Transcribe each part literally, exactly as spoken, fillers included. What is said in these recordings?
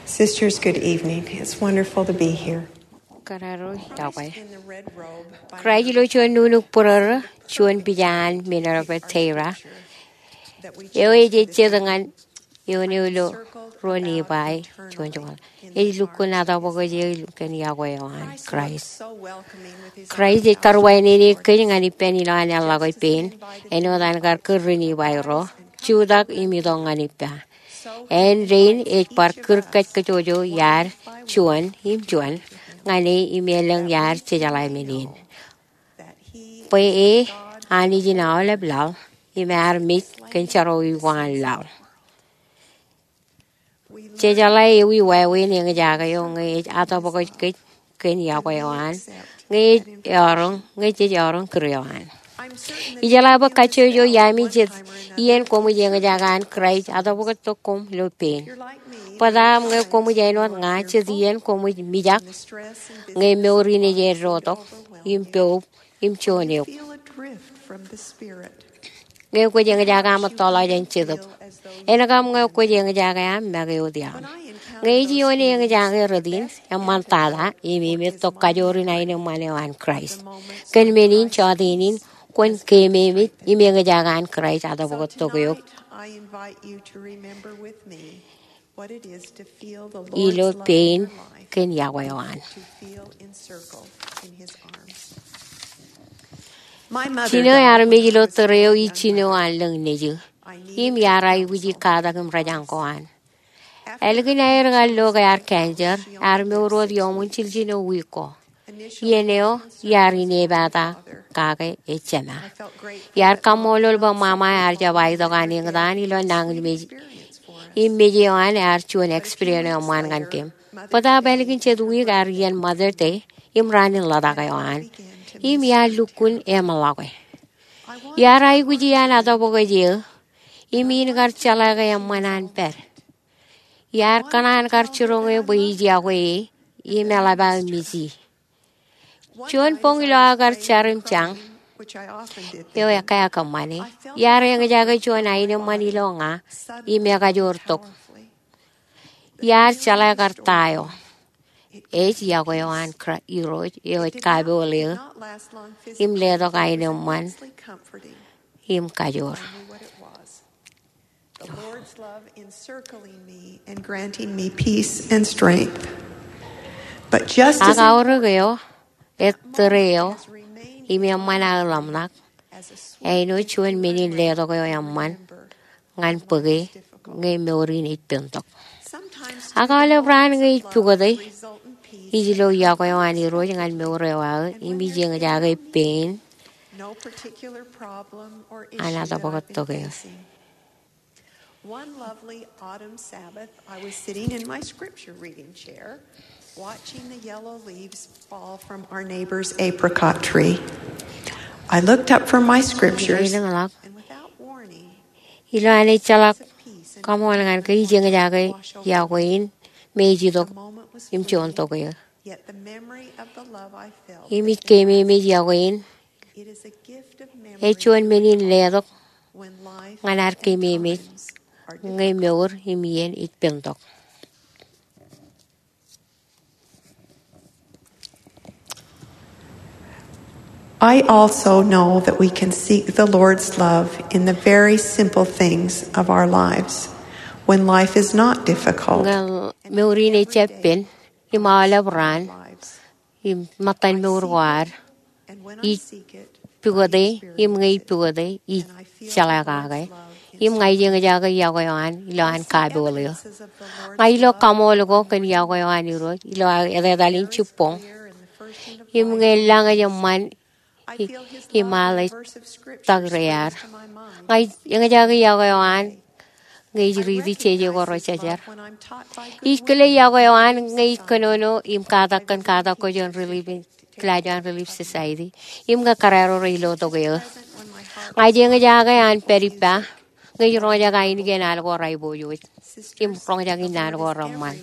Sisters, good evening. It's wonderful to be here. Kōrā ro iọkwe. Kraist ilo juon nuknuk būrōrō, juon pija an men eo rej ba Teira, eo ej jet ñan eoon eo ilo ruo Nifai juon joñoul. Ej lukkuun atōpwōj eō kōn iọkwe eo an Kraist. Kraist ej karuwainene kōj ñan ippān ilowaan eḷḷọk pein, āinwōt an kar kūr ri-Nifai ro, jutak im itok ñan ippa. Āindein ej bar kūr kajkajjojo iar juon im juon ñan e im elōñ iar jejeḷā men in, bwe e Anij in aolep laḷ im ear mej kōn jerọwiwi ko an laḷ. Jejeḷā ewi wāween eñjake eo ñe ej atōpwōj kōj kōn iọkwe eo an, ñe ej eọroñ, ñe jej eọroñ kūr eo an. Ijeḷā bwe kajjojo iaami jet iien koṃij eñjake an Kraist atōpwōjtok koṃ ilo pein. Bōtaab ñe koṃij āinwōt ña, jet iien koṃij mijak ñe mour in ej eddotok im poub im juon eok. Ñe kwōj eñjake aṃ ettoḷọk jān Jetōb, en kab ñe kwōj eñjake aṃ make wōt iaḷ. Ñe ej ioon eñjake rot in, eṃṃan tata im emettok kajoor in aenōṃṃan eo an Kraist. Kōn men in, jọteen in kwōn keememej im eñjake an Kraist atōpwōjtok eok ilo pein kōn iọkwe eo an. Jino ear mej ilo tōre eo ij jino an lōñ nejū, im iar aikuji katak im rōjañ ko an. Ālikin aer kar lo ke ear cancer, ear mour wōt iuṃwin jiljino wiik ko. Iien eo iar inepata kake ej jema. Iar kaṃṃoolol bwe ṃaṃa ear jab aitok an eñtaan ilo nañinmej im mej eo an ear juon experience eo eṃṃan ñan kōm. Bōtaab ālikin jet wiik ear iien Mother's Day im raan in ḷotak eo an, im iar lukkuun eṃḷọke. Iar aikuji an atōpwōj eō im in kar jeḷā ke eṃṃan an pād. Iar kōṇaan kar jiroñ eō bwe ij iọkwe e im eḷap aō mej e. Juon boñ ilo aō kar jar im jañ, eo ekkā kōṃṃane, iar eñjake juon aenōṃṃan ilo ña im ekajoor tok. Iar jeḷā kar ta eo. Ej iọkwe eo an Kra-, Irooj eo ej kapool eō im letok aenōṃṃan im kajoor. The Lord's love encircling me and granting me peace and strength. But just as Ak aorōk eo, ej tōre eo, im eṃṃan aō ḷōmṇak, āinwōt juon men in letok eo eṃṃan ñan bōke ñe mour in ej pentok. Ak aolep raan ñe ij pukote, ij lo iọkwe eo an Irooj ñan mour eo aō, im ij eñjake pein an atōpwōjtok eō. One lovely autumn Sabbath, I was sitting in my scripture reading chair, watching the yellow leaves fall from our neighbor's apricot tree. I looked up from my scriptures, and without warning, ilo an ejjeḷọk kaṃool ñan ke ij eñjake iọkwe in me ej itok im juon tok eō. Im ij keememej iọkwe in. Ej juon men in letok ñan ad keememej ñe mour im iien ej pentok. I also know that we can seek the Lord's love in the very simple things of our lives when life is not difficult. Ñe mour in ejjab pen, im aolep raan, im ṃōttan mour ko ad, ij pukote, im ñe ij pukote, ij jeḷā kake. Im ña ij eñjake iọkwe eo an, ilo an kapool eō. Ña ij lo kaṃool ko kōn iọkwe eo an Irooj, ilo aō etetal in jibboñ. Im ñe lañ ej eṃṃan, i-, im aḷ ej tak rear. Ña ij eñjake iọkwe eo an, ñe ij riiti jeje ko rejejjer. Ij kile iọkwe eo an, ñe ij kōnono, im katak kōn katak ko jān Relief in, kilaaj eo an Relief Society. Im ñe kōrā ro rej lotok eō. Ña ij eñjake an pād ippa, ñe ij roñjake ainikien al ko rej pojoj. Im roñjake innaan ko reṃṃan.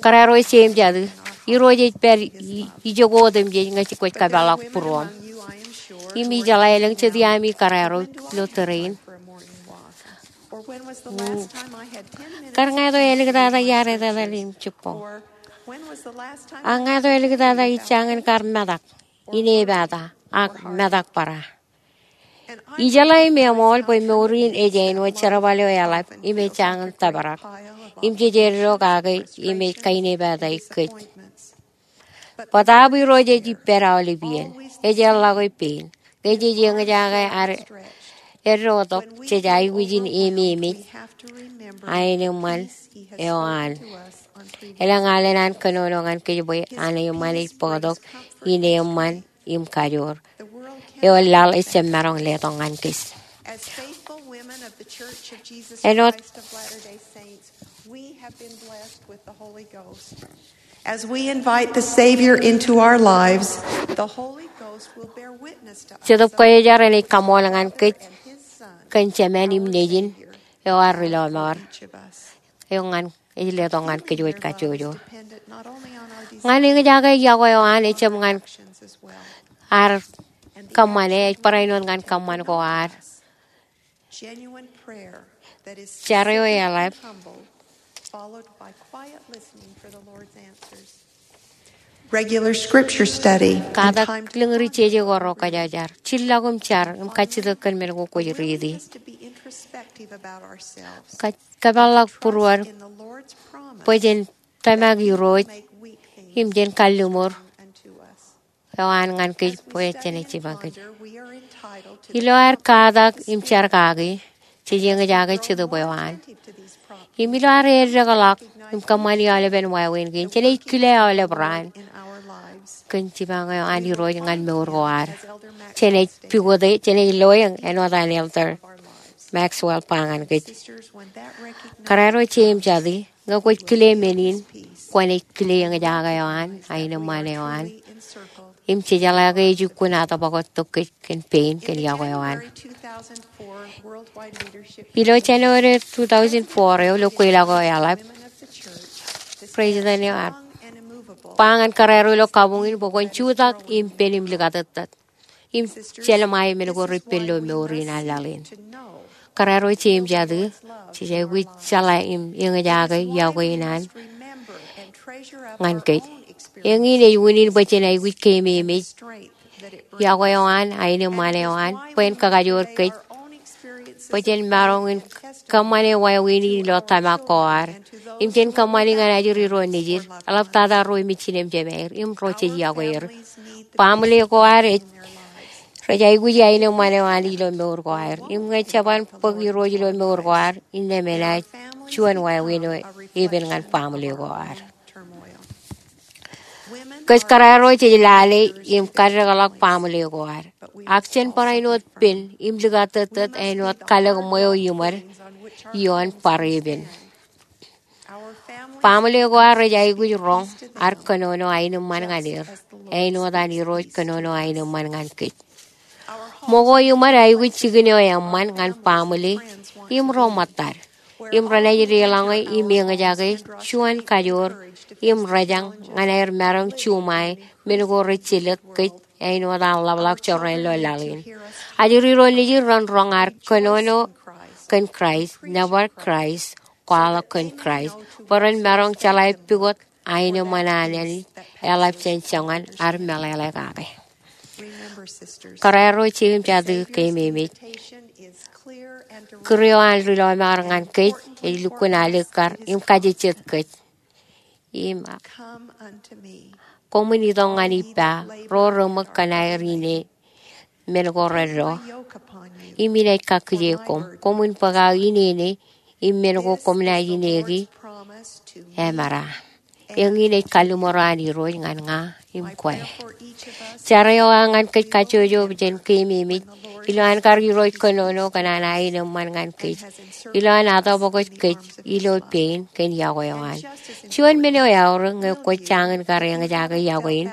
Kōrā ro ej jeim jatū. Irooj ej pād i-, ijoko otemjej ñe kwōj kōpeḷḷọk būruōṃ. Im ijeḷā elōñ jet iaami kōrā ro ilo tōre in. Kar ñāāt eo eliktata iar etetal im jibboñ. Ak ñāāt eo eliktata ij jañin kar metak, inepata, ak metak bōra. Ijeḷā im eṃool bwe mour in ej āinwōt jerbal eo eḷap im ej jañin tōprak, im jej eddo kake im ej kainepataik kōj. Bōtaab Irooj ej ippād aolep iien. Ej erḷọke pein. Ñe jej eñjake ad eddo tok, jej aikuj in ememej aenōṃṃan eo an. Elōñ alen an kōnono ñan kōj bwe aenōṃṃan ej bōktok in eṃṃan im kajoor eo laḷ ejjab maroñ letok ñan kōj. As faithful women of the Church of Jesus Āinwōt Christ of Latter-day Saints, we have been blessed with the Holy Ghost. As we invite the Savior into our lives, the Holy Ghost will bear witness to us Jetōb Kwōjarjar enaaj kaṃool ñan kōj kōn Jemān im Nejin eo ear ri lọmọọr, eo ñan ej letok ñan kōj wōj kajjojo. Ñan eñjake yokwe eo an ejjab ñan ad kōṃṃane, ej barāinwōt ñan kōṃṃan ko ad. Jar eo eḷap. Regular scripture study. Katak lōñ ri jeje ko ro kwōjarjar. Jillọk im jar im kajjitōk kōn men ko kwōj riiti. Kōpeḷḷọk būruod bwe jen tōmak Irooj im jen kalliṃur eo an ñan kōj bwe jenaaj jipañ kōj. Ilo ad katak im jar kaki, jej eñjake Jetōb eo an. Im ilo ad eddekḷọk im kōṃṃani aolepen wāween kein, jenaaj kile aolep raan kōn jipañ eo an Irooj ñan mour ko ad. Jenaaj pukot e, jenaaj loe āinwōt an Elder Maxwell ba ñan kōj. Kōrā ro jeiū im jatū, ñe kwōj kile men in, kwōnaaj kile eñjake eo an, aenōṃṃan eo an. Im jejeḷā ke ej ukkuun atōpwoktok kōj kōn pein kōn yokwe eo an. Ilo January two thousand four eo, ilo kweilọk eo eḷap, President eo ear ba ñan kōrā ro ilo kabuñ in bwe kwōn jutak im pen im likatōttōt im jelṃae men ko reippān ilo mour in an laḷ in. Kōrā ro jeiū im jatū, jej aikuj jeḷā im eñjake yokwe in an ñan kōj. Eñin ej unin bwe jen aikuj keememej yokwe eo an, aenōṃṃan eo an, bwe en kakajoor kōj bwe jen maroñ in kōṃṃane wāween in ilo tōmak ko ad. Im jen kōṃṃani ñan ajri ro nejid, eḷaptata ro im ijin im jemāer, im ro jej yokwe er. Baaṃle ko ad ej, rej aikuj aenōṃṃan eo an ilo mour ko aer. Im ñe jeban bōk Irooj ilo mour ko ad, innām enaaj juon wāween eo epen ñan baaṃle ko ad. Kōj kōrā ro jej lale im kaddekḷọk baaṃle ko ad. Ak jen barāinwōt pen im likatōttōt āinwōt kalōk ṃweo iṃōd ioon bar epen. Baaṃle ko ad rej aikuj roñ ad kōnono aenōṃṃan ñan er, āinwōt an Irooj kōnono aenōṃṃan ñan kōj. Ṃōko iṃōd aikuj jikin eo eṃṃan ñan baaṃle im ro ṃōttad. Im renaaj deḷọñe im eñjake juon kajoor im rejañ ñan aer maroñ juṃae men ko rej jelōt kōj āinwōt an ḷapḷọk jorrāān ilo laḷ in. Ajri ro nejid ren roñ ad kōnono kōn Kraist, nōbar Kraist, kwaḷọk kōn Kraist, bwe ren maroñ jeḷā pukot aenōṃṃan an Anij eḷap jān joñan ad meḷeḷe kake. Kōrā ro jeiū im jatū, keememej. Kūr eo an ri lọmọọr ñan kōj ej lukkuun alikkar im kajejjet kōj. Im koṃwin itok ñan ippa, ro reṃōk kōn aer ine men ko reddo, im inaaj kakkije koṃ. Koṃwin bōk aō inene im men ko koṃ naaj ineki, emera. Eñin ej kalliṃur eo an Irooj ñan ña im kwe. Jar eo aō ñan kōj kajjojo jen keememej ilowaan kar Irooj kōnono kōn an aenōṃṃan ñan kōj ilowaan atōpwokoj kōj ilo pein kōn yokwe eo an. Juon men eo eaorōk, ñe kwōj jañin kar eñjake yokwe in,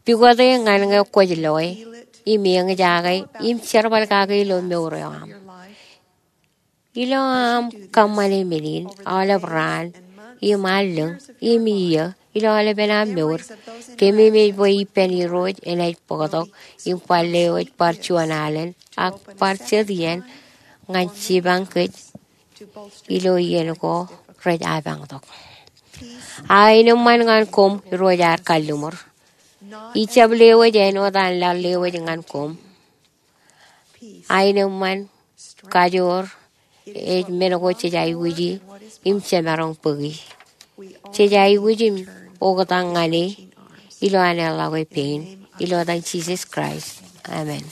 pukot e ñan ñe kwōj loe im eñjake im jerbal kake ilo mour eo aṃ. Ilo aṃ kōṃṃane men in aolep raan im allōñ im iiō ilo aolepen aṃ mour, keememej bwe ippān Irooj enaaj bōktok im bar lewōj bar juon alen ak bar jet iien ñan jipañ kōj ilo iien ko rej apañtok. Aenōṃṃan ñan koṃ Irooj ad kalliṃur. Ij jab lewōj āinwōt an laḷ lewōj ñan koṃ. Aenōṃṃan, kajoor, ej men ko jej aikuji im jemaroñ bōki. Jej aikuj im oktak ñan e ilo an eḷḷọke pein. Ilo etan Jisōs Kraist, amen.